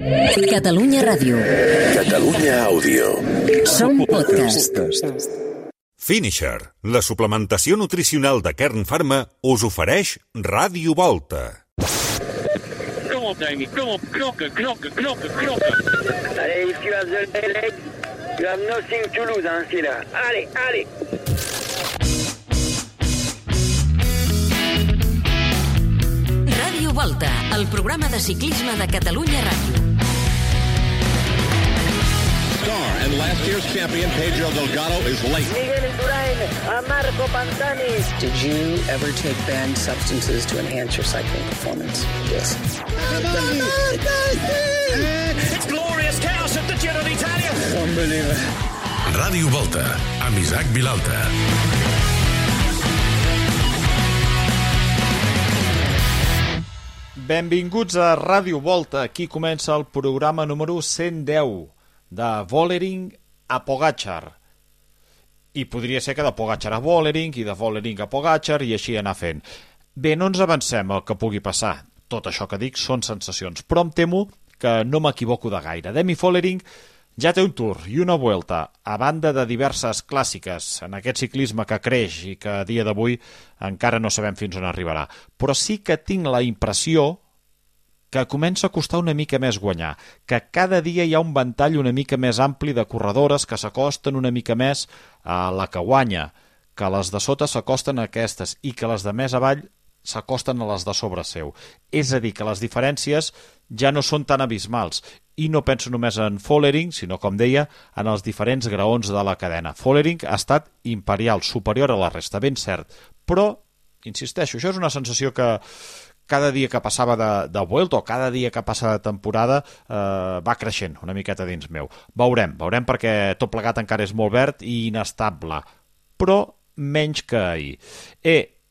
Catalunya Ràdio. Catalunya Àudio. Som podcast. Finisher, la suplementació nutricional de Kern Pharma, us ofereix Ràdio Volta. Come on, Damien. Come on, knocker. Allez, if you have the leg, you have nothing to lose, hein, c'est là. Allez. Ràdio Volta, el programa de ciclisme de Catalunya Ràdio. Star and last year's champion Pedro Delgado is late. Miguel Indurain, a Marco Pantani. Did you ever take banned substances to enhance your cycling performance? Yes. It's glorious chaos at the Giro d'Italia. Unbelievable. Ràdio Volta, amb Isaac Vilalta. Benvinguts a Ràdio Volta. Aquí comença el programa número 110 de Vollering a Pogačar. I podria ser que de Pogačar a Vollering i de Vollering a Pogačar i així anar fent. Bé, no ens avancem el que pugui passar. Tot això que dic són sensacions, però em temo que no m'equivoco de gaire. Demi Vollering ja té un Tour i una Vuelta, a banda de diverses clàssiques en aquest ciclisme que creix i que a dia d'avui encara no sabem fins on arribarà. Però sí que tinc la impressió que comença a costar una mica més guanyar, que cada dia hi ha un ventall una mica més ampli de corredores que s'acosten una mica més a la que guanya, que les de sota s'acosten a aquestes i que les de més avall s'acosten a les de sobre seu. És a dir, que les diferències ja no són tan abismals. I no penso només en Vollering, sinó, com deia, en els diferents graons de la cadena. Vollering ha estat imperial, superior a la resta, ben cert. Però, insisteixo, això és una sensació que cada dia que passava de Vuelta o cada dia que passa de temporada va creixent una miqueta dins meu. Veurem perquè tot plegat encara és molt verd i inestable, però menys que ahir.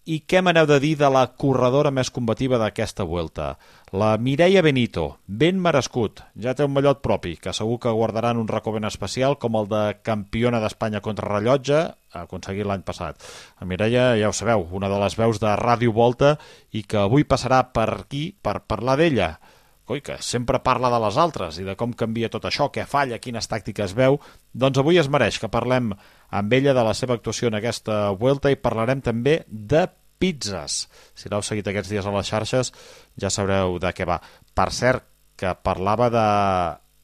I què m'aneu de dir de la corredora més combativa d'aquesta Vuelta? La Mireia Benito, ben merescut, ja té un mallot propi, que segur que guardaran un racó ben especial com el de campiona d'Espanya contra rellotge, aconseguit l'any passat. La Mireia, ja ho sabeu, una de les veus de Ràdio Volta i que avui passarà per aquí per parlar d'ella. Coi, que sempre parla de les altres i de com canvia tot això, què falla, quines tàctiques veu. Doncs avui es mereix que parlem amb ella de la seva actuació en aquesta Vuelta i parlarem també de pizzas. Si l'heu seguit aquests dies a les xarxes ja sabreu de què va. Per cert, que parlava de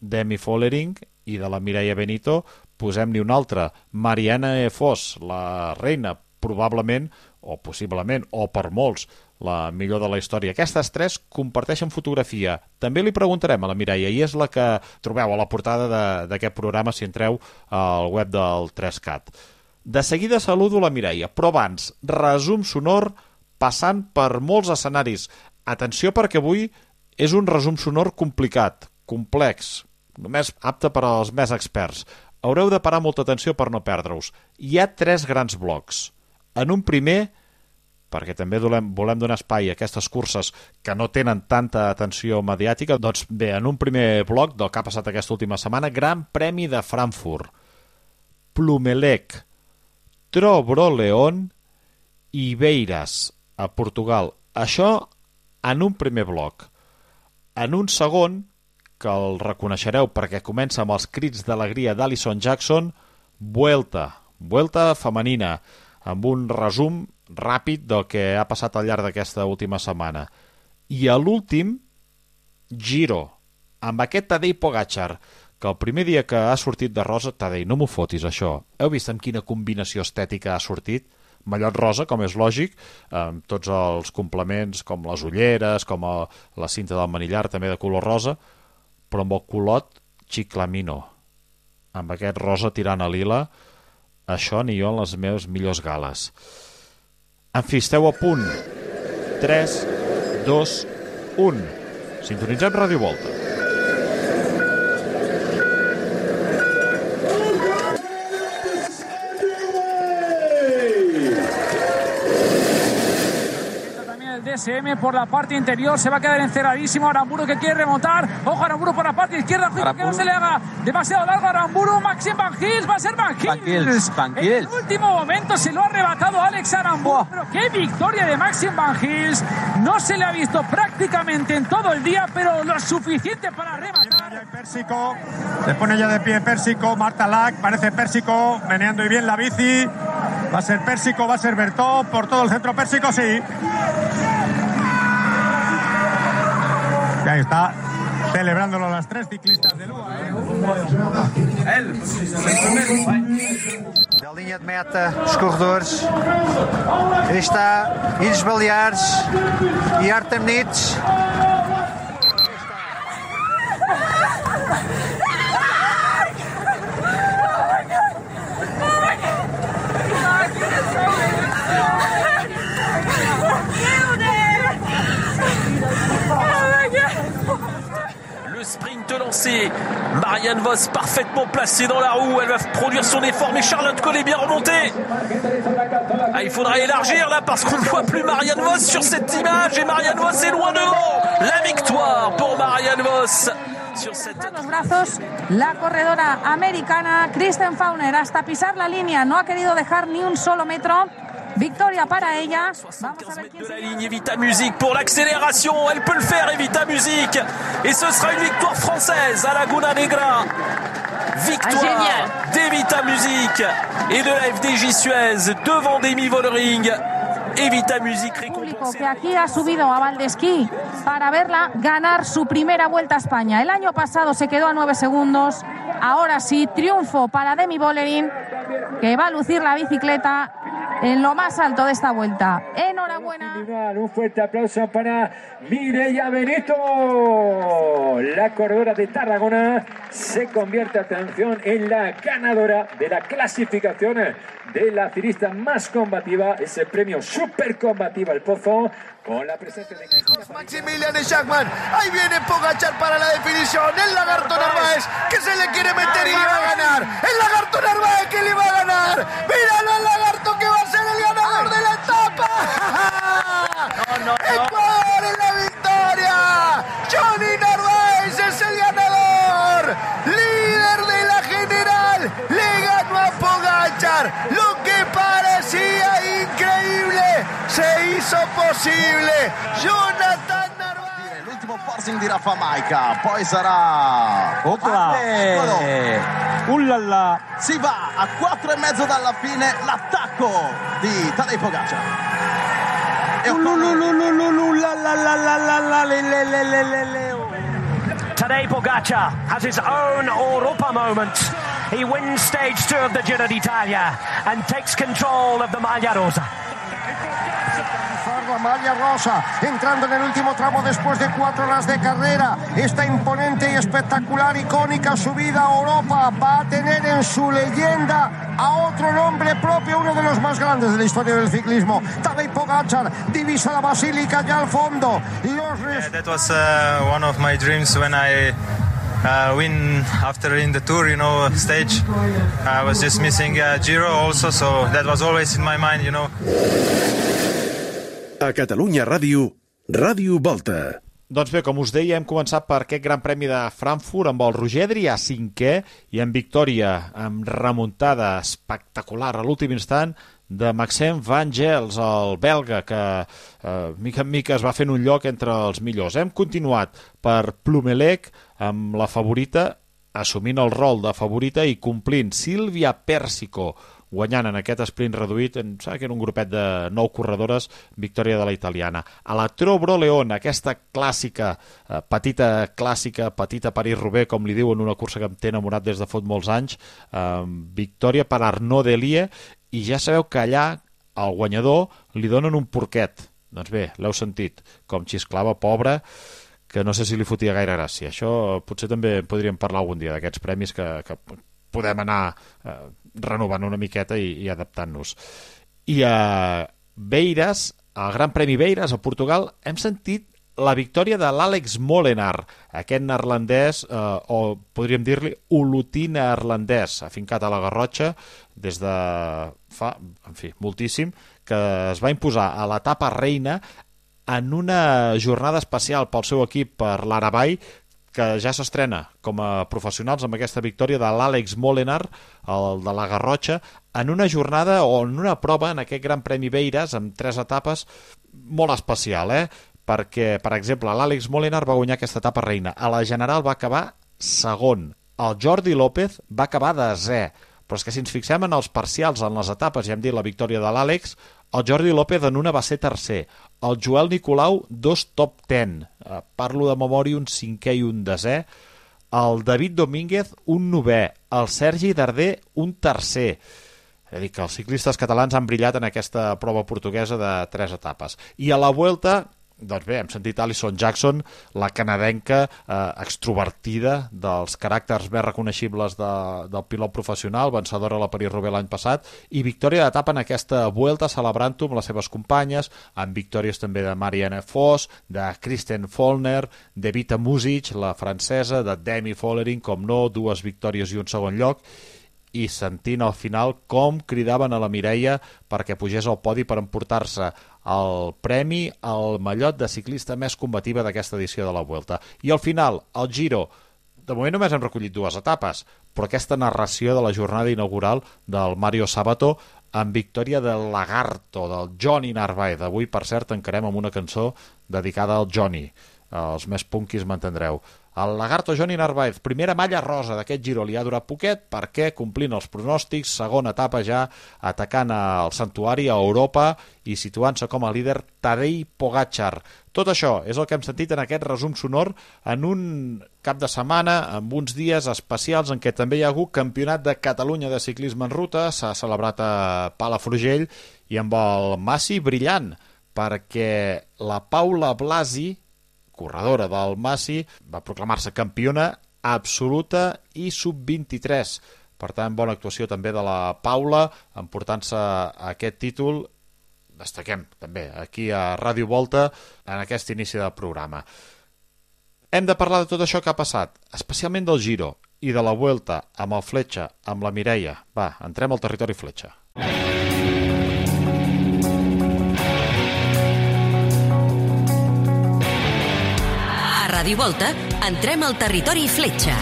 Demi Vollering i de la Mireia Benito, posem-n'hi una altra, Marianne Vos, la reina, probablement, o possiblement, o per molts, la millor de la història. Aquestes tres comparteixen fotografia. També li preguntarem a la Mireia i és la que trobeu a la portada d'aquest programa si entreu al web del 3CAT. De seguida saludo la Mireia, però abans, resum sonor passant per molts escenaris. Atenció perquè avui és un resum sonor complicat, complex, només apte per als més experts. Haureu de parar molta atenció per no perdre-us. Hi ha 3 grans blocs. En un primer, perquè també volem donar espai a aquestes curses que no tenen tanta atenció mediàtica, doncs bé, en un primer bloc del que ha passat aquesta última setmana, Gran Premi de Frankfurt, Plumelec, Tobroleón i Beiras, a Portugal. Això en un primer bloc. En un segon, que el reconeixereu perquè comença amb els crits d'alegria d'Alison Jackson, Vuelta femenina, amb un resum ràpid del que ha passat al llarg d'aquesta última setmana. I a l'últim, Giro, amb aquest Tadej Pogačar, que el primer dia que ha sortit de rosa, Tadej, no m'ho fotis això, heu vist amb quina combinació estètica ha sortit? Mallot rosa, com és lògic, amb tots els complements, com les ulleres, com la cinta del manillar, també de color rosa, però amb el culot xiclamino, amb aquest rosa tirant a lila, això ni jo en les meves millors gales. En fi, esteu a punt. 3, 2, 1. Sintonitzem Ràdio Volta. CSM por la parte interior, se va a quedar encerradísimo. Aramburu que quiere remontar. Ojo, Aramburu por la parte izquierda. Que no se le haga demasiado largo a Aramburu. Maxim Van Gils, va a ser Van Gils. En el último momento se lo ha arrebatado Alex Aramburu. Pero qué victoria de Maxim Van Gils. No se le ha visto prácticamente en todo el día, pero lo suficiente para rematar. Pérsico, se pone ya de pie Pérsico. Marta Lack, parece Pérsico, meneando y bien la bici. Va a ser Pérsico, va a ser Bertó, por todo el centro Pérsico, sí. Y ahí está, celebrándolo las 3 ciclistas de Lua. Da linha de meta, os corredores. Aí está, Ilhos Baleares e Artem Nitz. Le sprint lancé, Marianne Vos parfaitement placée dans la roue, elle va produire son effort, mais Charlotte Cole est bien remontée. Ah, il faudra élargir là parce qu'on ne voit plus Marianne Vos sur cette image et Marianne Vos est loin devant. La victoire pour Marianne Vos. Los brazos, la corredora americana Kristen Fauner hasta pisar la línea, no ha querido dejar ni un solo metro. Victoria para ella. Vamos a ver quién de la ligne. Evita Music pour l'accélération. Elle peut le faire, Evita Music. Et ce sera une victoire française à Laguna Negra. Victoire d'Evita Music et de la FDJ Suez devant Demi Vollering. Evita Music público que aquí ha subido a Valdesquí para verla ganar su primera Vuelta a España. El año pasado se quedó a 9 segundos. Ahora sí, triunfo para Demi Vollering, que va a lucir la bicicleta en lo más alto de esta vuelta. Enhorabuena. Un fuerte aplauso para Mireia Benito. La corredora de Tarragona se convierte, atención, en la ganadora de la clasificación de la ciclista más combativa, ese premio super combativa El Pozo, con la presencia de Maximilian Schachmann. Ahí viene Pogačar para la definición. El lagarto Narváez que se le quiere meter y le va a ganar. El lagarto Narváez que le va a ganar. Míralo al lagarto que va a ser el ganador de la etapa. Ecuador en la victoria. Johnny Narváez es el ganador. Líder de la general. Le ganó a Pogačar. Lo que parecía increíble se hizo posible. Jonathan Narváez. L'ultimo forcing di Rafa Majka, poi sarà Ullala. Si va a 4,5 dalla fine l'attacco di Tadej Pogačar. Tadej Pogačar has his own Europa moment. He wins stage 2 of the Giro d'Italia and takes control of the Maglia Rosa. Maglia Rosa, entrando en el último tramo después de 4 horas de carrera. Esta imponente y espectacular, icónica subida a Europa va a tener en su leyenda a otro nombre propio, uno de los más grandes de la historia del ciclismo. Tadej Pogačar divisa la Basílica ya al fondo. That was one of my dreams when I win after in the Tour, stage. I was just missing Giro also, so that was always in my mind, A Catalunya Ràdio, Ràdio Volta. Doncs bé, com us deia, hem començat per aquest Gran Premi de Frankfurt amb el Roger Adrià cinquè i amb victòria, amb remuntada espectacular a l'últim instant de Maxime Van Gels, el belga, que mica en mica es va fent un lloc entre els millors. Hem continuat per Plumelec amb la favorita, assumint el rol de favorita i complint Silvia Persico, guanyant en aquest sprint reduït, em sembla que era un grupet de 9 corredores, victòria de la italiana. A la Tro-Bro-León, aquesta clàssica, petita París-Roubaix, com li diuen, una cursa que em té enamorat des de fot molts anys, victòria per Arnaud Delia, i ja sabeu que allà al guanyador li donen un porquet. Doncs bé, l'heu sentit, com xisclava, pobre, que no sé si li fotia gaire gràcia. Això potser també podríem parlar algun dia d'aquests premis que podem anar renovant una miqueta i adaptant-nos. I a Beiras, al Gran Premi Beiras, a Portugal, hem sentit la victòria de l'Àlex Molenaar, aquest neerlandès, o podríem dir-li olotí neerlandès, afincat a la Garrotxa des de fa, moltíssim, que es va imposar a l'etapa reina en una jornada especial pel seu equip, per l'Aravall, que ja s'estrena com a professionals amb aquesta victòria de l'Àlex Molenar, el de la Garrotxa, en una jornada o en una prova en aquest Gran Premi Beiras amb 3 etapes molt especial, perquè, per exemple, l'Àlex Molenar va guanyar aquesta etapa reina. A la general va acabar segon. El Jordi López va acabar 10è. Però és que si ens fixem en els parcials, en les etapes, ja hem dit la victòria de l'Àlex, el Jordi López en una va ser tercer. El Joel Nicolau, 2 top 10. Parlo de memòria, un 5è i un 10è. El David Domínguez, un 9è. El Sergi Darder, un tercer. És a dir, que els ciclistes catalans han brillat en aquesta prova portuguesa de 3 etapes. I a la Vuelta, doncs bé, hem sentit Alison Jackson, la canadenca extrovertida, dels caràcters més reconeixibles del pilot professional, vencedora a la París-Roubaix l'any passat, i victòria d'etapa en aquesta Vuelta, celebrant-ho amb les seves companyes, amb victòries també de Marianne Vos, de Kristen Follner, de Vita Music, la francesa, de Demi Vollering, com no, 2 victòries i un segon lloc, i sentint al final com cridaven a la Mireia perquè pugés al podi per emportar-se el premi al mallot de ciclista més combativa d'aquesta edició de la Vuelta. I al final, el Giro, de moment només hem recollit 2 etapes, però aquesta narració de la jornada inaugural del Mario Sabato amb victòria del Lagarto, del Johnny Narváez. Avui, per cert, encarem amb una cançó dedicada al Johnny. Els més punkis m'entendreu. El Lagarto Johnny Narváez, primera malla rosa d'aquest Giro, li ha durat poquet perquè, complint els pronòstics, segona etapa ja atacant el santuari a Europa i situant-se com a líder Tadej Pogačar. Tot això és el que hem sentit en aquest resum sonor en un cap de setmana, amb uns dies especials en què també hi ha hagut Campionat de Catalunya de ciclisme en ruta, s'ha celebrat a Palafrugell i amb el Massi brillant, perquè la Paula Blasi, corredora del Massi, va proclamar-se campiona absoluta i sub-23. Per tant, bona actuació també de la Paula, emportant-se aquest títol. Destaquem també aquí a Ràdio Volta en aquest inici del programa. Hem de parlar de tot això que ha passat, especialment del Giro i de la Vuelta amb el Fletxa, amb la Mireia. Va, entrem al territori Fletxa. Ràdio Volta, entrem al territori Fletxa.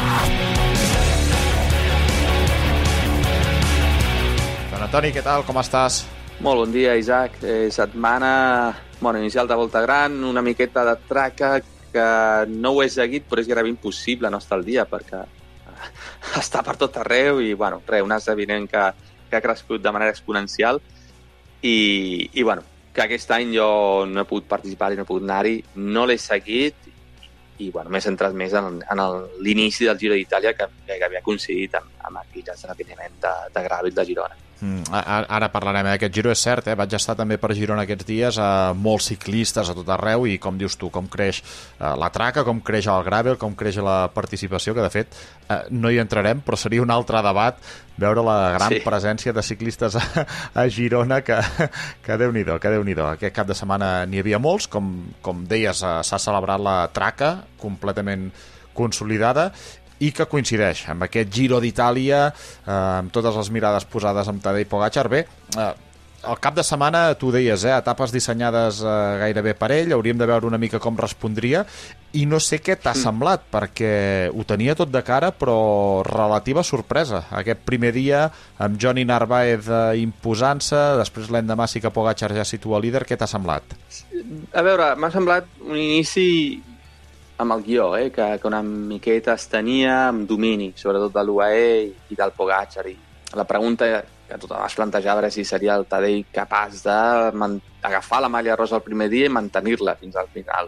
Don Antoni, què tal? Com estàs? Molt bon dia, Isaac. Setmana inicial de Volta Gran, una miqueta de traca que no ho he seguit, però és gairebé impossible no estar al dia perquè està per tot arreu i, un esdeveniment que ha crescut de manera exponencial i que aquest any jo no he pogut participar i no he pogut anar-hi, no l'he seguit i m'he centrat més en l'inici del Giro d'Itàlia que havia coincidit amb aquell esdeveniment de Gravit de Girona. Ara parlarem d'aquest Giro, és cert, vaig estar també per Girona aquests dies, molts ciclistes a tot arreu i com dius tu, com creix la traca, com creix el gravel, com creix la participació, que de fet no hi entrarem, però seria un altre debat veure la gran presència de ciclistes a Girona que Déu-n'hi-do, que Déu-n'hi-do. Aquest cap de setmana n'hi havia molts, com deies, s'ha celebrat la traca completament consolidada i que coincideix amb aquest Giro d'Itàlia, amb totes les mirades posades amb Tadej Pogačar. Bé, el cap de setmana, tu deies, etapes dissenyades gairebé per ell, hauríem de veure una mica com respondria, i no sé què t'ha semblat, perquè ho tenia tot de cara, però relativa sorpresa. Aquest primer dia, amb Johnny Narváez imposant-se, després l'endemà sí que Pogačar ja situa líder, què t'ha semblat? A veure, m'ha semblat un inici amb el guió, que una miqueta es tenia amb domini, sobretot de l'UAE i del Pogačar. I la pregunta que tothom es plantejava era si seria el Tadej capaç d'agafar la malla rosa el primer dia i mantenir-la fins al final.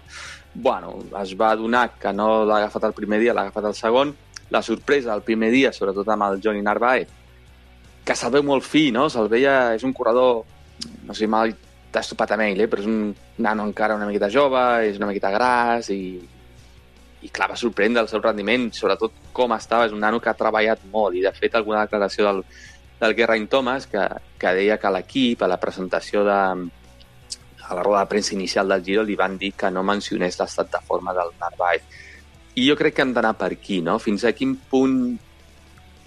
Es va adonar que no l'ha agafat el primer dia, l'ha agafat el segon. La sorpresa el primer dia, sobretot amb el Johnny Narváez, que se'l veu molt fi, no? Se'l veia, és un corredor, no sé, mal t'has topat amb ell, però és un nano encara una miqueta jove, és una miqueta gras i clar, va sorprendre el seu rendiment, sobretot com estava. És un nano que ha treballat molt i de fet alguna declaració del Geraint Thomas que deia que l'equip a la presentació a la roda de premsa inicial del Giro li van dir que no mencionés l'estat de forma del Narváez. I jo crec que hem d'anar per aquí, no? Fins a quin punt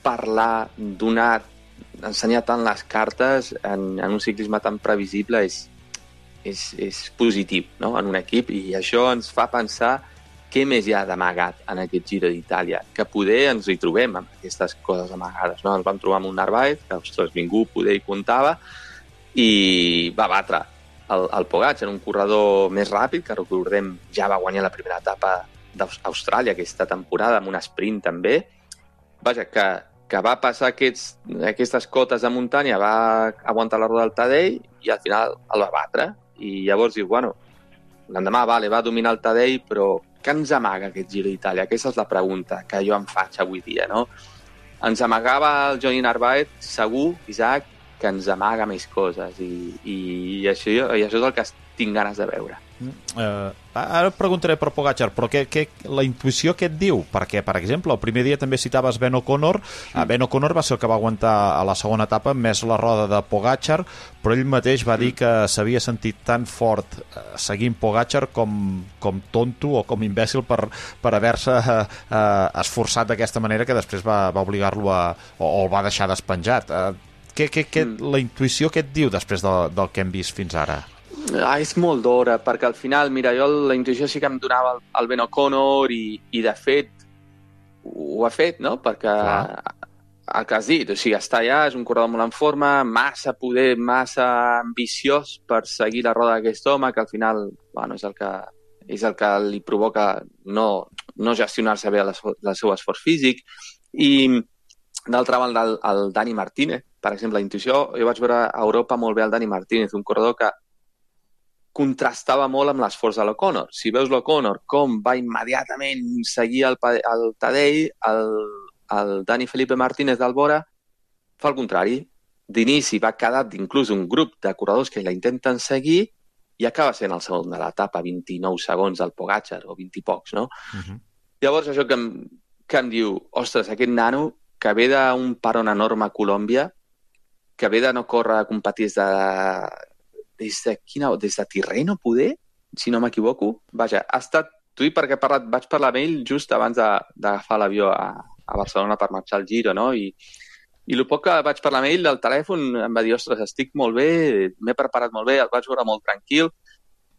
parlar ensenyar tant les cartes en un ciclisme tan previsible és és positiu, no?, en un equip, i això ens fa pensar què més hi ha d'amagat en aquest Giro d'Itàlia, que poder ens hi trobem amb aquestes coses amagades, no? Ens vam trobar amb un Narváez, que, ostres, ningú poder hi comptava, i va batre el Pogačar, un corredor més ràpid, que recordem ja va guanyar la primera etapa d'Austràlia aquesta temporada, amb un sprint també. Vaja, que va passar aquestes cotes de muntanya, va aguantar la roda del Tadej i al final el va batre. I llavors diu, bueno, l'endemà va dominar el Tadej, però què ens amaga aquest Giro d'Itàlia? Aquesta és la pregunta que jo em faig avui dia, no? Ens amagava el Johnny Narváez, segur, Isaac, que ens amaga més coses, i això és el que tinc ganes de veure. Ara et preguntaré per Pogačar, però la intuïció què et diu? Perquè, per exemple, el primer dia també citaves Ben O'Connor. Ben O'Connor va ser el que va aguantar a la segona etapa més la roda de Pogačar, però ell mateix va dir que s'havia sentit tan fort seguint Pogačar com tonto o com imbècil per haver-se esforçat d'aquesta manera, que després va obligar-lo o el va deixar despenjat. La intuïció què et diu després del que hem vist fins ara? És molt d'hora, perquè al final, mira, jo la intuïció sí que em donava el Ben O'Connor i de fet ho ha fet, no? Perquè el que has dit, o sigui, està allà, és un corredor molt en forma, massa poder, massa ambiciós per seguir la roda d'aquest home, que al final, bueno, és el que li provoca no gestionar-se bé el seu esforç físic. I d'altra banda, el Dani Martínez, per exemple, la intuïció, jo vaig veure a Europa molt bé el Dani Martínez, un corredor que contrastava molt amb l'esforç de l'O'Connor. Si veus l'O'Connor com va immediatament seguir el Tadej, el Dani Felipe Martínez d'Albora fa el contrari. D'inici va quedar inclús un grup de corredors que la intenten seguir i acaba sent el segon de l'etapa, 29 segons del Pogačar, o 20 i pocs, no? Llavors això que em diu, ostres, aquest nano que ve d'un paron enorme a Colòmbia, que ve de no córrer a competir des de Tirreno, poder, si no m'equivoco. Vaja, ha estat... Tu perquè vaig parlar amb ell just abans d'agafar l'avió a Barcelona per marxar al Giro, no? I el poc que vaig parlar amb ell al telèfon em va dir, ostres, estic molt bé, m'he preparat molt bé, el vaig veure molt tranquil.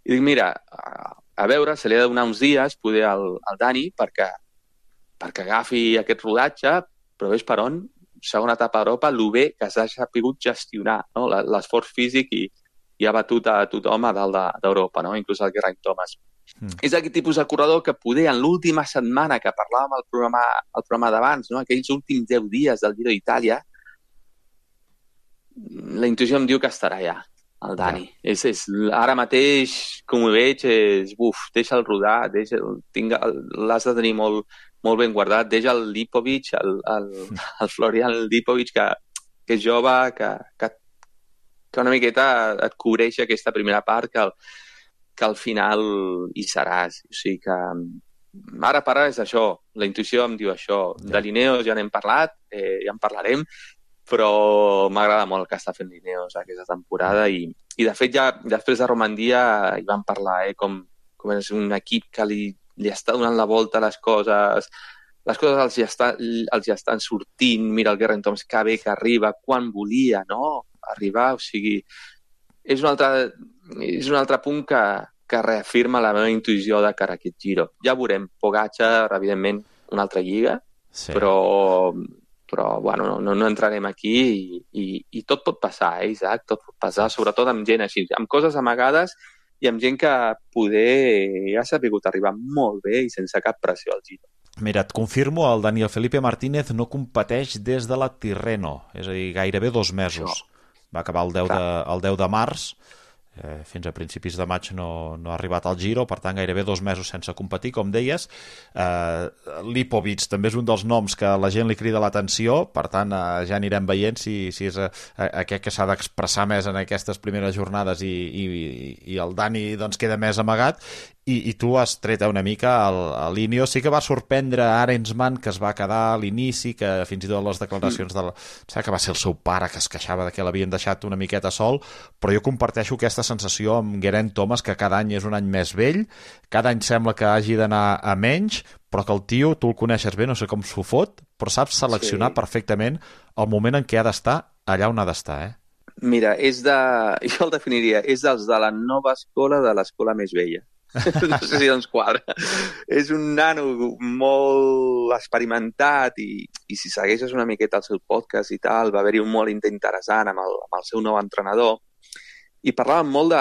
I dic, mira, a veure, se li ha de donar uns dies, poder al Dani, perquè agafi aquest rodatge, però ves per on, segona etapa d'Europa, el bé que s'ha sapigut gestionar, no? L'esforç físic i ha batut a tothom a dalt d'Europa, no? Inclús el Geraint Thomas. És aquest tipus de corredor que poder en l'última setmana que parlàvem al programa d'abans, no? Aquells últims 10 dies del Giro d'Itàlia, la intuïció em diu que estarà allà, el Dani. Ara mateix, com ho veig, deixa'l rodar, l'has de tenir molt ben guardat, deixa el Lipovic, el Florian Lipovic, que és jove, que una miqueta et cobreix aquesta primera part, que al final hi seràs. O sigui que ara per ara és això, la intuïció em diu això. De Lineos ja n'hem parlat, ja en parlarem, però m'agrada molt el que està fent Lineos aquesta temporada i de fet ja després de Romandia hi vam parlar, com és un equip que li està donant la volta a les coses els ja estan sortint. Mira el Geraint Thomas que bé que arriba, quan volia, no? Arribar, o sigui, és un altre punt que reafirma la meva intuïció de cara a aquest Giro. Ja veurem, Pogačar, evidentment, una altra lliga, però bueno, no entrarem aquí i tot pot passar, Isaac, tot pot passar, sobretot amb gent així, amb coses amagades i amb gent que poder ha sapigut arribar molt bé i sense cap pressió al Giro. Mira, et confirmo, el Daniel Felipe Martínez no competeix des de la Tirreno, és a dir, gairebé 2 mesos. Va acabar el 10 de març, fins a principis de maig no ha arribat al Giro, per tant gairebé 2 mesos sense competir, com deies. Lipovic també és un dels noms que la gent li crida l'atenció, per tant ja anirem veient si és aquest que s'ha d'expressar més en aquestes primeres jornades i el Dani doncs queda més amagat. I tu has tret una mica a l'Ineos. Sí que va sorprendre Arensman, que es va quedar a l'inici, que fins i tot les declaracions que va ser el seu pare que es queixava que l'havien deixat una miqueta sol, però jo comparteixo aquesta sensació amb Geraint Thomas, que cada any és un any més vell, cada any sembla que hagi d'anar a menys, però que el tio, tu el coneixes bé, no sé com s'ho fot, però saps seleccionar perfectament el moment en què ha d'estar allà on ha d'estar, Mira, jo el definiria, és dels de la nova escola de l'escola més vella. No sé si doncs quadra. És un nano molt experimentat i si segueixes una miqueta el seu podcast i tal, va haver-hi un molt interessant amb el seu nou entrenador i parlàvem molt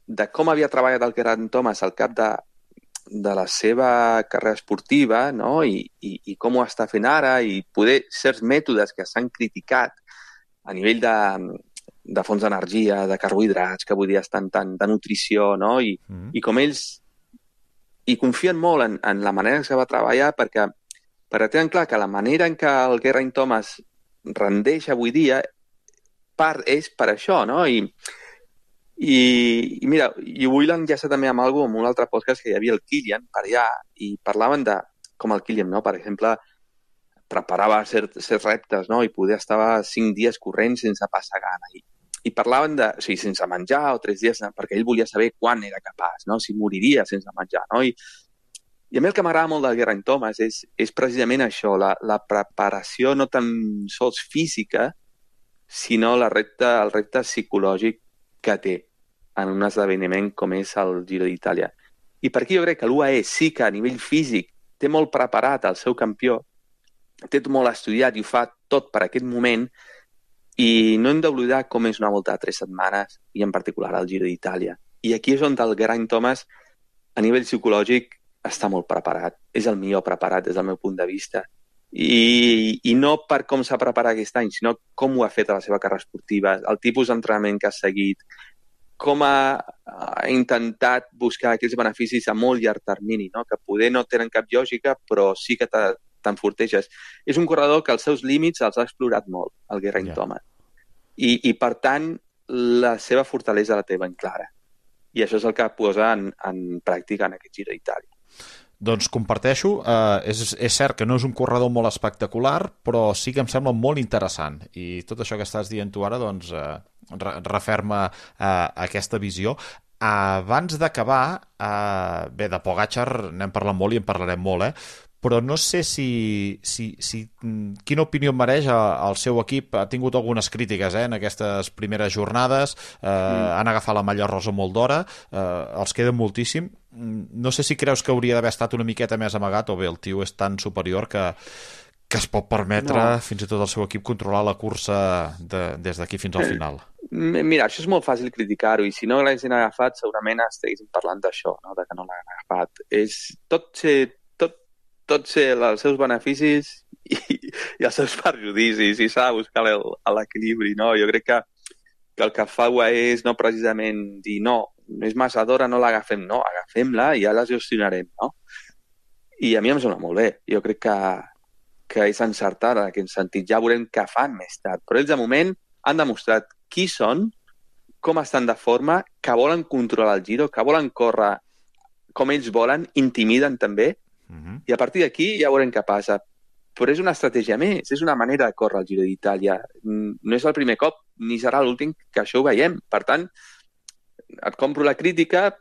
de com havia treballat el Geraint Thomas al cap de la seva carrera esportiva, no? I com ho està fent ara i poder certs mètodes que s'han criticat a nivell de fons d'energia, de carbohidrats, que avui dia estan de nutrició, no? I com ells hi confien molt en la manera que se va treballar perquè tenen clar que la manera en què el Geraint Thomas rendeix avui dia és per això, no? I mira, i vull enllaçar també amb un altre podcast que hi havia el Kilian per allà i parlaven de com el Kilian, no? Per exemple, preparava certs reptes, no? I poder estar 5 dies corrents sense passar gana. I parlaven sense menjar o 3 dies, perquè ell volia saber quan era capaç, no? Si moriria sense menjar, no? I a mi el que m'agrada molt del Geraint Thomas és precisament això, la preparació no tan sols física, sinó el repte psicològic que té en un esdeveniment com és el Giro d'Itàlia. I per aquí jo crec que l'UAE sí que a nivell físic té molt preparat el seu campió, té molt estudiat i ho fa tot per aquest moment i no hem d'oblidar com és una volta de 3 setmanes i en particular el Giro d'Itàlia. I aquí és on el Geraint Thomas a nivell psicològic està molt preparat. És el millor preparat des del meu punt de vista. I no per com s'ha preparat aquest any, sinó com ho ha fet a la seva carrera esportiva, el tipus d'entrenament que ha seguit, com ha intentat buscar aquells beneficis a molt llarg termini, no? Que poder no tenen cap lògica, però sí que t'enforteixes. És un corredor que els seus límits els ha explorat molt, el Geraint Thomas. I per tant, la seva fortalesa la té ben clara. I això és el que posa en pràctica en aquest Giro d'Itàlia. Doncs comparteixo, és cert que no és un corredor molt espectacular, però sí que em sembla molt interessant. I tot això que estàs dient tu ara, doncs, referma aquesta visió. Abans d'acabar, bé, de Pogačar n'hem parlat molt i en parlarem molt, però no sé quina opinió mereix el seu equip. Ha tingut algunes crítiques en aquestes primeres jornades, han agafat la malla rosa molt d'hora, els queda moltíssim. No sé si creus que hauria d'haver estat una miqueta més amagat, o bé el tio és tan superior que es pot permetre fins i tot el seu equip controlar la cursa des d'aquí fins al final. Mira, això és molt fàcil criticar-ho, i si no l'haguessin agafat segurament estiguéssim parlant d'això, no? De que no l'han agafat. Tots els seus beneficis i els seus perjudicis, i s'ha de buscar l'equilibri, no? Jo crec que el que fa UAE és no precisament dir no és massa d'hora, no l'agafem, no, agafem-la i ja la gestionarem, no? I a mi em sembla molt bé. Jo crec que és encertat en aquest sentit. Ja veurem què fan més tard. Però ells, de moment, han demostrat qui són, com estan de forma, que volen controlar el Giro, que volen córrer com ells volen, intimiden també, i a partir d'aquí ja veurem què passa. Però és una estratègia més, és una manera de córrer el Giro d'Itàlia. No és el primer cop, ni serà l'últim que això ho veiem. Per tant, et compro la crítica,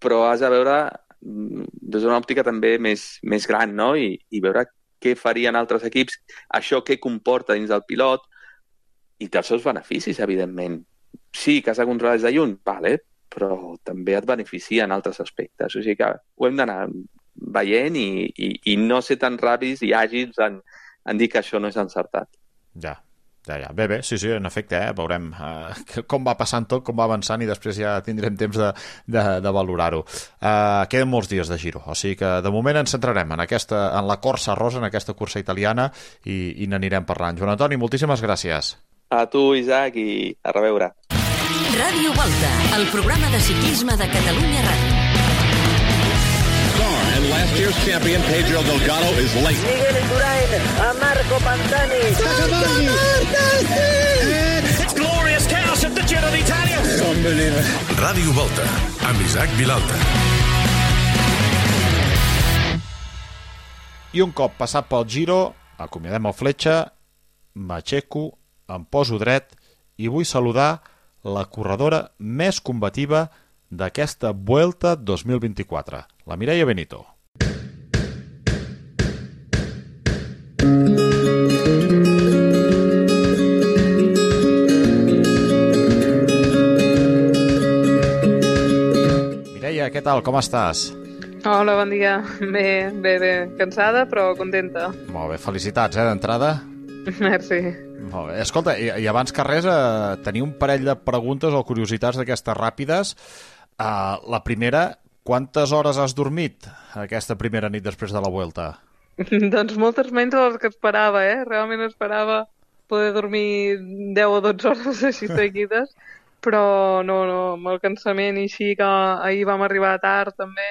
però has de veure des d'una òptica també més gran, no? I veure què farien altres equips, això què comporta dins del pilot, i té els seus beneficis, evidentment. Sí, que has de controlar des de lluny, vale, però també et beneficia en altres aspectes. O sigui que ho hem d'anar veient i no ser tan ràpids i àgils en dir que això no és encertat. Ja. Bé, sí, en efecte, veurem com va passant tot, com va avançant, i després ja tindrem temps de valorar-ho. Queden molts dies de Giro, o sigui que de moment ens centrarem en la Corsa Rosa, en aquesta cursa italiana, i n'anirem parlant. Joan Antoni, moltíssimes gràcies. A tu, Isaac, i a reveure. Ràdio Volta, el programa de ciclisme de Catalunya Ràdio. And last year's champion Pedro Delgado is late. Miguel Indurain a Marco Pantani. It's glorious chaos at the Giro d'Italia. Unbelievable. Ràdio Volta, amb Isaac Vilalta. I un cop passat pel Giro, acomiadem el Fletxa, m'aixeco, em poso dret i vull saludar la corredora més combativa d'aquesta Vuelta 2024, la Mireia Benito. tal? Com estàs? Hola, bon dia. Bé, cansada, però contenta. Molt bé, felicitats, d'entrada. Merci. Molt bé. Escolta, i abans que res, tenia un parell de preguntes o curiositats d'aquestes ràpides. La primera, quantes hores has dormit aquesta primera nit després de la Vuelta? Doncs moltes menys de les que esperava, Realment esperava poder dormir 10 o 12 hores així seguides, però no, amb el cansament i així que ahir vam arribar tard també,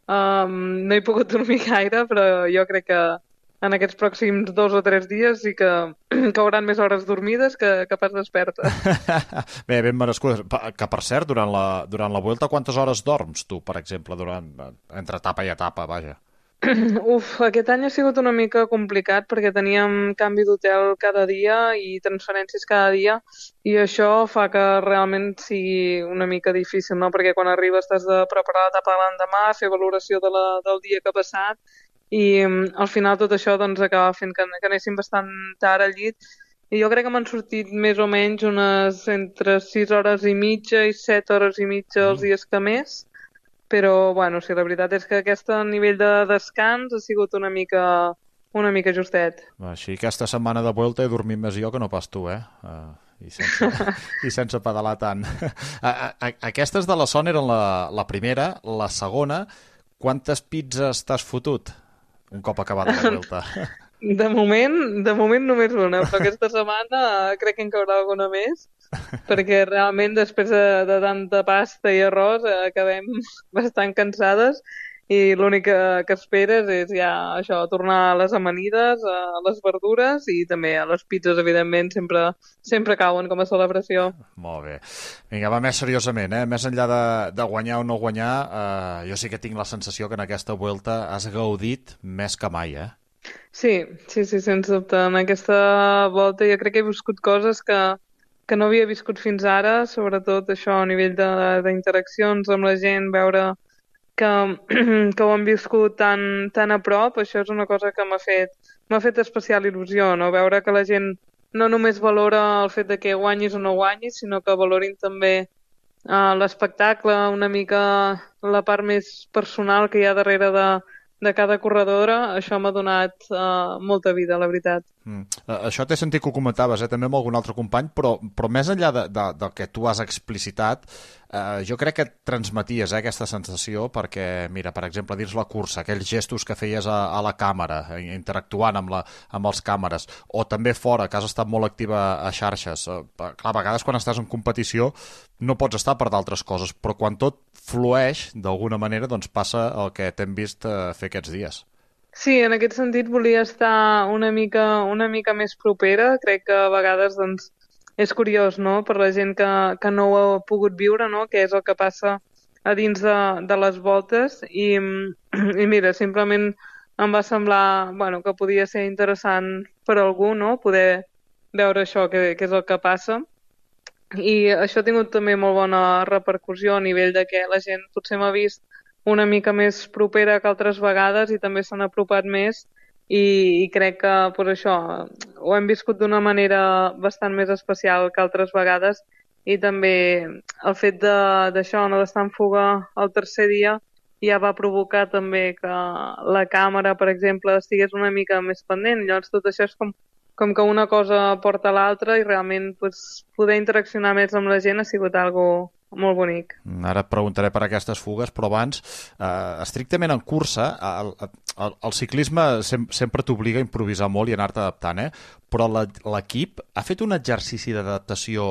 no he pogut dormir gaire, però jo crec que en aquests pròxims 2 o 3 dies sí que hauran més hores dormides que pas desperta. Bé, ben merescudes. Que per cert, durant la Vuelta, quantes hores dorms tu, per exemple, entre etapa i etapa, vaja? Aquest any ha sigut una mica complicat perquè teníem canvi d'hotel cada dia i transferències cada dia i això fa que realment sigui una mica difícil, no? Perquè quan arribes t'has de preparar l'etapa de l'endemà, fer valoració del dia que ha passat i al final tot això doncs acaba fent que anéssim bastant tard al llit i jo crec que m'han sortit més o menys unes entre 6 hores i mitja i 7 hores i mitja els dies que més. Però, bueno, sí, la veritat és que aquest nivell de descans ha sigut una mica justet. Així, aquesta setmana de Vuelta he dormit més jo que no pas tu, I sense pedalar tant. Aquestes de la Son eren la primera. La segona, quantes pizzas t'has fotut un cop acabada la Vuelta? De moment només una, però aquesta setmana crec que en caurà alguna més, perquè realment després de tanta pasta i arròs acabem bastant cansades i l'únic que esperes és ja això, tornar a les amanides, a les verdures i també a les pizzas, evidentment, sempre cauen com a celebració. Molt bé. Vinga, va més seriosament, Més enllà de guanyar o no guanyar, jo sí que tinc la sensació que en aquesta Vuelta has gaudit més que mai, Sí, sens dubte. En aquesta volta jo crec que he viscut coses que no havia viscut fins ara, sobretot això a nivell d'interaccions amb la gent, veure que ho han viscut tan a prop, això és una cosa que m'ha fet especial il·lusió, no? Veure que la gent no només valora el fet de que guanyis o no guanyis, sinó que valorin també l'espectacle, una mica la part més personal que hi ha darrere de cada corredora, això m'ha donat molta vida, la veritat. Això t'he sentit que ho comentaves, també amb algun altre company, però més enllà del que tu has explicitat, jo crec que transmeties aquesta sensació perquè, mira, per exemple, dins la cursa, aquells gestos que feies a la càmera, interactuant amb els càmeres, o també fora, que has estat molt activa a xarxes. Clar, a vegades quan estàs en competició no pots estar per d'altres coses, però quan tot flueix, d'alguna manera, doncs passa el que t'hem vist fer aquests dies. Sí, en aquest sentit volia estar una mica més propera. Crec que a vegades doncs, és curiós, no?, per la gent que no ho ha pogut viure, no?, què és el que passa a dins de les voltes. I mira, simplement em va semblar que podia ser interessant per algú, no?, poder veure això, què és el que passa. I això ha tingut també molt bona repercussió a nivell de que la gent potser m'ha vist una mica més propera que altres vegades i també s'han apropat més i crec que per això ho hem viscut d'una manera bastant més especial que altres vegades i també el fet d'això, no, d'estar en fuga el tercer dia ja va provocar també que la càmera, per exemple, estigués una mica més pendent. Llavors tot això és com que una cosa porta a l'altra i realment poder interaccionar més amb la gent ha sigut algo molt bonic. Ara et preguntaré per aquestes fugues, però abans, estrictament en cursa, el ciclisme sempre t'obliga a improvisar molt i anar-te adaptant, però l'equip ha fet un exercici d'adaptació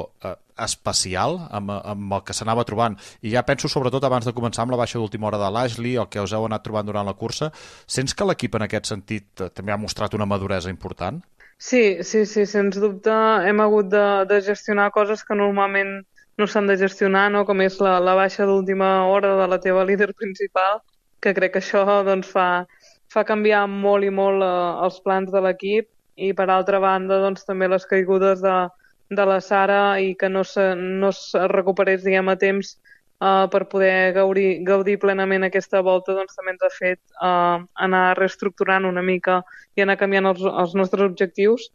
especial amb el que s'anava trobant, i ja penso sobretot abans de començar amb la baixa d'última hora de l'Ashley, el que us heu anat trobant durant la cursa. Sents que l'equip en aquest sentit també ha mostrat una maduresa important? Sí, sens dubte hem hagut de gestionar coses que normalment no s'han de gestionar, no? Com és la baixa d'última hora de la teva líder principal, que crec que això doncs, fa canviar molt i molt els plans de l'equip i per altra banda doncs, també les caigudes de la Sara i que no es recuperés diguem, a temps per poder gaudir plenament aquesta volta doncs, també ens ha fet anar reestructurant una mica i anar canviant els nostres objectius.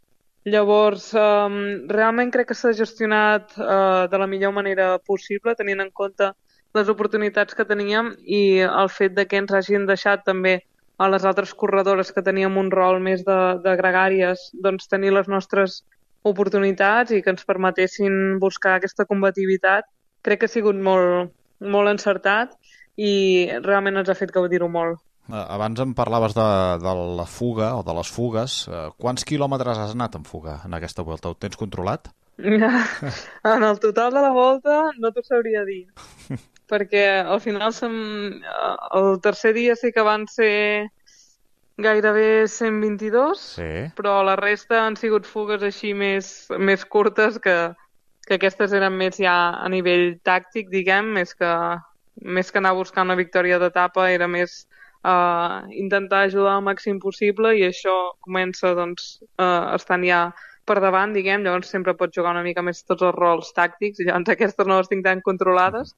Llavors, realment crec que s'ha gestionat de la millor manera possible, tenint en compte les oportunitats que teníem i el fet de que ens hagin deixat també a les altres corredores que teníem un rol més de gregàries, doncs tenir les nostres oportunitats i que ens permetessin buscar aquesta combativitat, crec que ha sigut molt, molt encertat i realment ens ha fet gaudir-ho molt. Abans em parlaves de la fuga o de les fugues. Quants quilòmetres has anat en fuga en aquesta volta? Ho tens controlat? En el total de la volta no t'ho sabria dir, perquè al final el tercer dia sí que van ser gairebé 122, sí. Però la resta han sigut fugues així més curtes que aquestes eren més ja a nivell tàctic, diguem, més que anar a buscar una victòria d'etapa, era més intentar ajudar al màxim possible i això comença doncs, estant ja per davant, diguem, llavors sempre pots jugar una mica més tots els rols tàctics i llavors aquestes no les tinc tan controlades,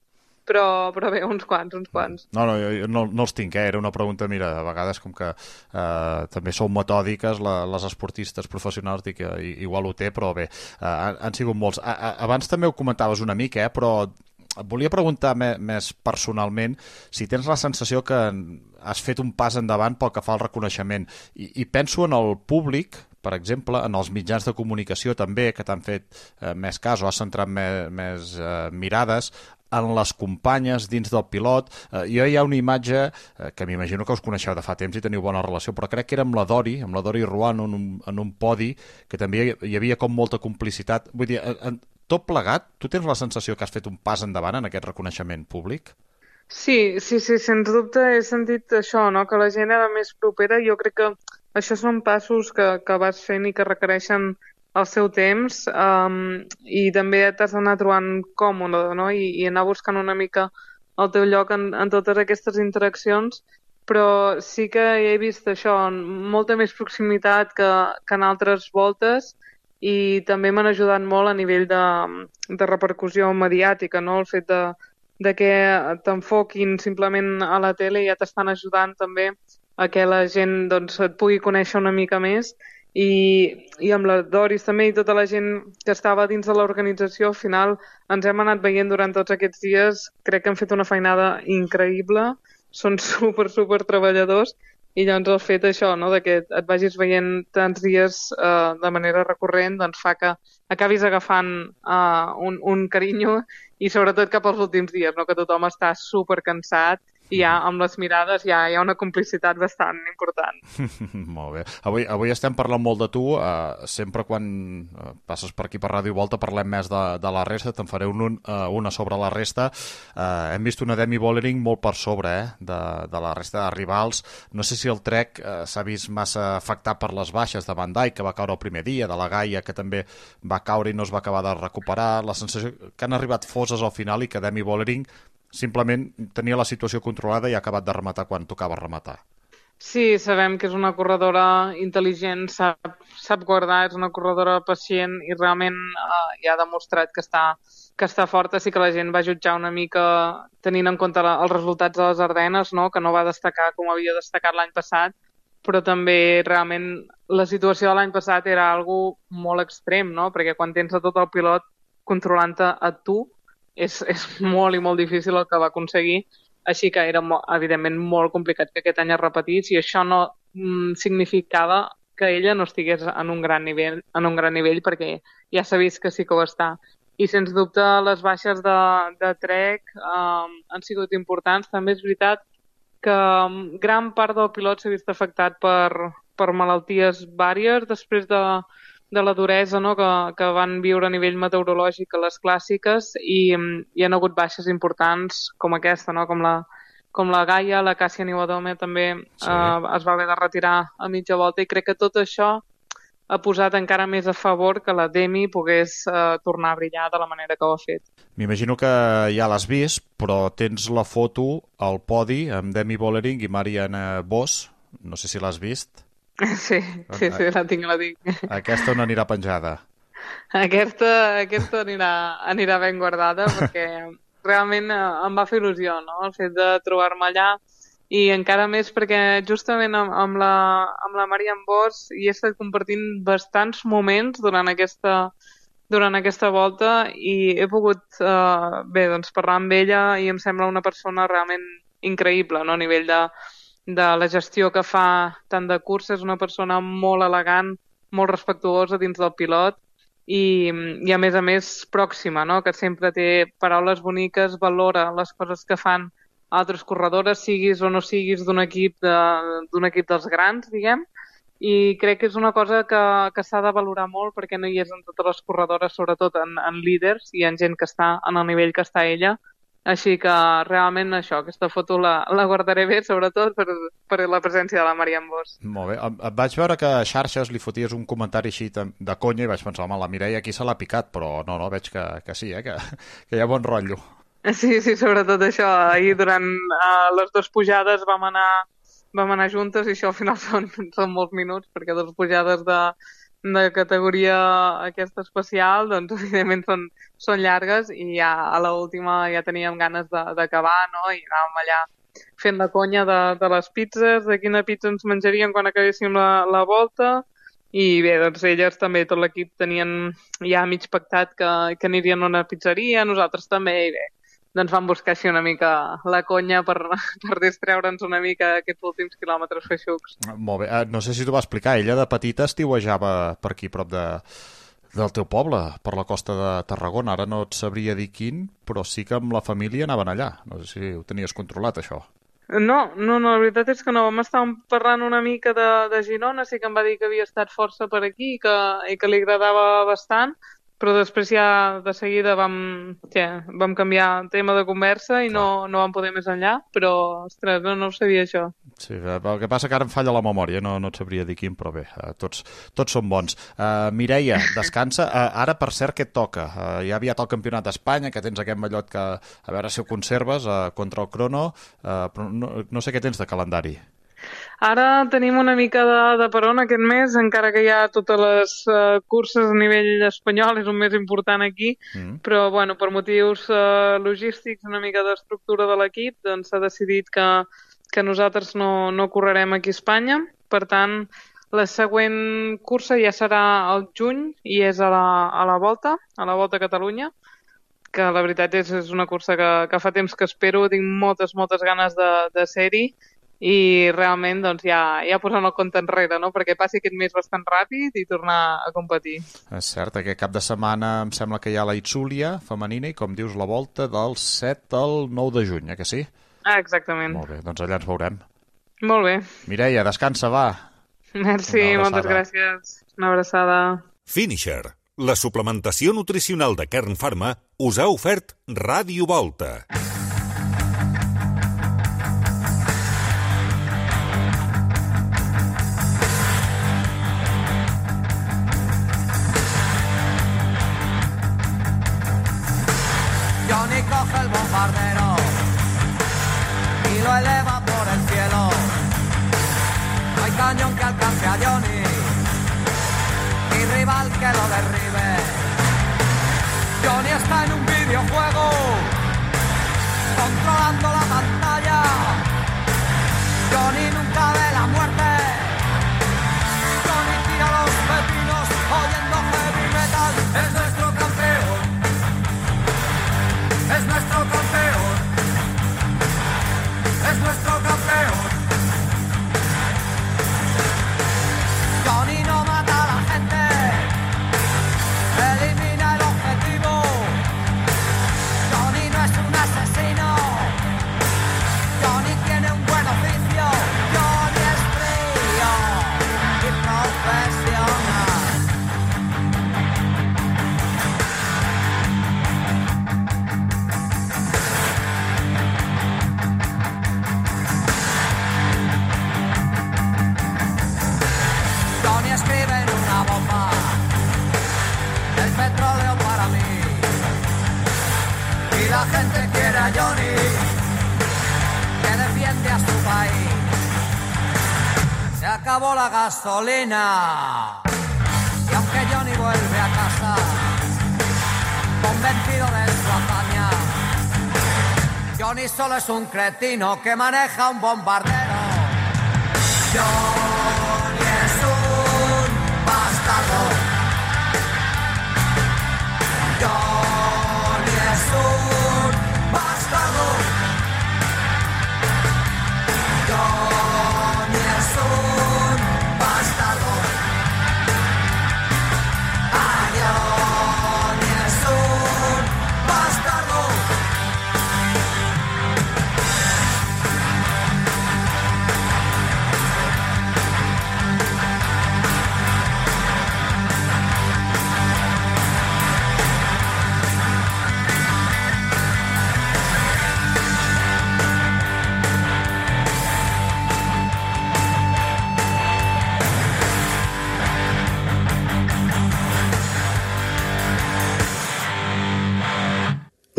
però bé, uns quants. No, jo no els tinc, era una pregunta, mira, a vegades com que també sou metòdiques les esportistes professionals, dic que igual ho té, però bé, han sigut molts. Abans també ho comentaves una mica, però et volia preguntar més personalment si tens la sensació que has fet un pas endavant pel que fa al reconeixement i penso en el públic, per exemple, en els mitjans de comunicació també, que t'han fet més cas o has centrat més mirades en les companyes dins del pilot. Jo hi ha una imatge que m'imagino que us coneixeu de fa temps i teniu bona relació, però crec que era amb la Dori Ruan en un podi, que també hi havia com molta complicitat. Vull dir, tot plegat, tu tens la sensació que has fet un pas endavant en aquest reconeixement públic? Sí, sens dubte he sentit això, no? Que la gent era més propera. Jo crec que això són passos que vas fent i que requereixen el seu temps i també t'has d'anar trobant còmode, no? I anar buscant una mica el teu lloc en totes aquestes interaccions, però sí que he vist això, molta més proximitat que en altres voltes i també m'han ajudat molt a nivell de repercussió mediàtica, no? El fet de que t'enfoquin simplement a la tele ja t'estan ajudant també a que la gent doncs, et pugui conèixer una mica més i amb la Doris també i tota la gent que estava dins de l'organització, al final ens hem anat veient durant tots aquests dies, crec que han fet una feinada increïble, són super treballadors i llavors el fet això, no, de que et vagis veient tants dies de manera recurrent doncs fa que acabis agafant un carinyo i sobretot cap als últims dies, no, que tothom està super cansat i ja amb les mirades ja hi ha una complicitat bastant important. Molt bé. Avui estem parlant molt de tu. Sempre quan passes per aquí per Ràdio Volta parlem més de la resta. Te'n faré una sobre la resta. Hem vist una Demi Vollering molt per sobre de la resta de rivals. No sé si el Trek s'ha vist massa afectat per les baixes de Van Dijk, que va caure el primer dia, de la Gaia, que també va caure i no es va acabar de recuperar. La sensació que han arribat foses al final i que Demi Vollering simplement tenia la situació controlada i ha acabat de rematar quan tocava rematar. Sí, sabem que és una corredora intel·ligent, sap guardar, és una corredora pacient i realment ja ha demostrat que està forta. Sí que la gent va jutjar una mica tenint en compte els resultats de les Ardenes, no? Que no va destacar com havia destacat l'any passat, però també realment la situació de l'any passat era algo molt extrem, no? Perquè quan tens a tot el pilot controlant-te a tu, és molt i molt difícil el que va aconseguir, així que era evidentment molt complicat que aquest any es repetís i això no significava que ella no estigués en un gran nivell perquè ja s'ha vist que sí que ho està. I sens dubte les baixes de Trek han sigut importants. També és veritat que gran part del pilot s'ha vist afectat per malalties vàries després de la duresa, no? que van viure a nivell meteorològic a les clàssiques i hi ha hagut baixes importants com aquesta, no? com la Gaia, la Càssia Niuadome també es va haver de retirar a mitja volta i crec que tot això ha posat encara més a favor que la Demi pogués tornar a brillar de la manera que ho ha fet. M'imagino que ja l'has vist, però tens la foto al podi amb Demi Vollering i Marianne Vos, no sé si l'has vist. Sí, la tinc. Aquesta on anirà penjada? Aquesta anirà ben guardada perquè realment em va fer il·lusió, no? El fet de trobar-me allà i encara més perquè justament amb la Marianne Vos hi he estat compartint bastants moments durant aquesta durant aquesta volta i he pogut parlar amb ella i em sembla una persona realment increïble, no? A nivell de la gestió que fa tant de cursa, és una persona molt elegant, molt respectuosa dins del pilot i a més pròxima, no? Que sempre té paraules boniques, valora les coses que fan altres corredores, siguis o no siguis d'un equip dels grans, diguem, i crec que és una cosa que s'ha de valorar molt perquè no hi és en totes les corredores, sobretot en líders i en gent que està en el nivell que està ella. Així que realment això, aquesta foto la guardaré bé, sobretot per la presència de la Marianne Vos. Molt bé. Et vaig veure que a xarxes li foties un comentari així de conya i vaig pensar, home, la Mireia aquí se l'ha picat, però no, veig que sí, que hi ha bon rotllo. Sí, sobretot això. Ahir durant les 2 pujades vam anar juntes i això al final són molts minuts, perquè 2 pujades de categoria aquesta especial, doncs evidentment són llargues i ja a l'última ja teníem ganes d'acabar, no? I anàvem allà fent la conya de les pizzas, de quina pizza ens menjaríem quan acabéssim la volta i bé, doncs elles també, tot l'equip tenien ja mig pactat que anirien a una pizzeria, nosaltres també i bé, doncs vam buscar així una mica la conya per distreure'ns una mica aquests últims quilòmetres feixucs. Molt bé. No sé si t'ho va explicar, ella de petita estiuejava per aquí prop del teu poble, per la costa de Tarragona. Ara no et sabria dir quin, però sí que amb la família anaven allà. No sé si ho tenies controlat, això. No, la veritat és que no. Vam estar parlant una mica de Girona, sí que em va dir que havia estat força per aquí i que li agradava bastant, però després ja de seguida vam canviar el tema de conversa i no vam poder més enllà, però, ostres, no ho sabia això. Sí, el que passa que ara em falla la memòria, no et sabria dir quin, però bé, tots són bons. Mireia, descansa. Ara, per cert, què et toca? Ja aviat el Campionat d'Espanya, que tens aquest mallot que, a veure si ho conserves, contra el crono, però no sé què tens de calendari. Ara tenim una mica de peron aquest mes, encara que hi ha totes les curses a nivell espanyol, és un mes important aquí, però bueno, per motius logístics, una mica d'estructura de l'equip, doncs s'ha decidit que nosaltres no correrem aquí a Espanya. Per tant, la següent cursa ja serà al juny i és a la Volta a Catalunya, que la veritat és una cursa que fa temps que espero, tinc moltes ganes de ser-hi, i realment doncs, ja posant el compte enrere, no? Perquè passi aquest mes bastant ràpid i tornar a competir. És cert, aquest cap de setmana em sembla que hi ha la Itzulia femenina i, com dius, la Volta del 7 al 9 de juny, que sí? Exactament. Molt bé, doncs allà ens veurem. Molt bé. Mireia, descansa, va. Merci, moltes gràcies. Una abraçada. Finisher, la suplementació nutricional de Kern Pharma, us ha ofert Ràdio Volta. Johnny coge el bombardero y lo eleva por el cielo. No hay cañón que alcance a Johnny, ni rival que lo derribe. Johnny está en un videojuego, controlando la pantalla. Johnny nunca ve la muerte. Johnny tira los pepinos oyendo heavy metal. Es nuestro campeón. Es nuestro campeón, es nuestro campeón. Johnny no mata a la gente, elimina el objetivo. Johnny no es un asesino, Johnny tiene un buen oficio. Johnny es frío y profesional. Escribe en una bomba el petróleo para mí y la gente quiere a Johnny, que defiende a su país. Se acabó la gasolina y aunque Johnny vuelve a casa convencido de su hazaña, Johnny solo es un cretino que maneja un bombardero. Johnny es un bastardo.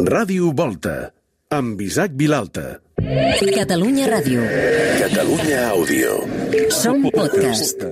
Ràdio Volta, amb Isaac Vilalta. Catalunya Ràdio. Catalunya Àudio. Som podcast.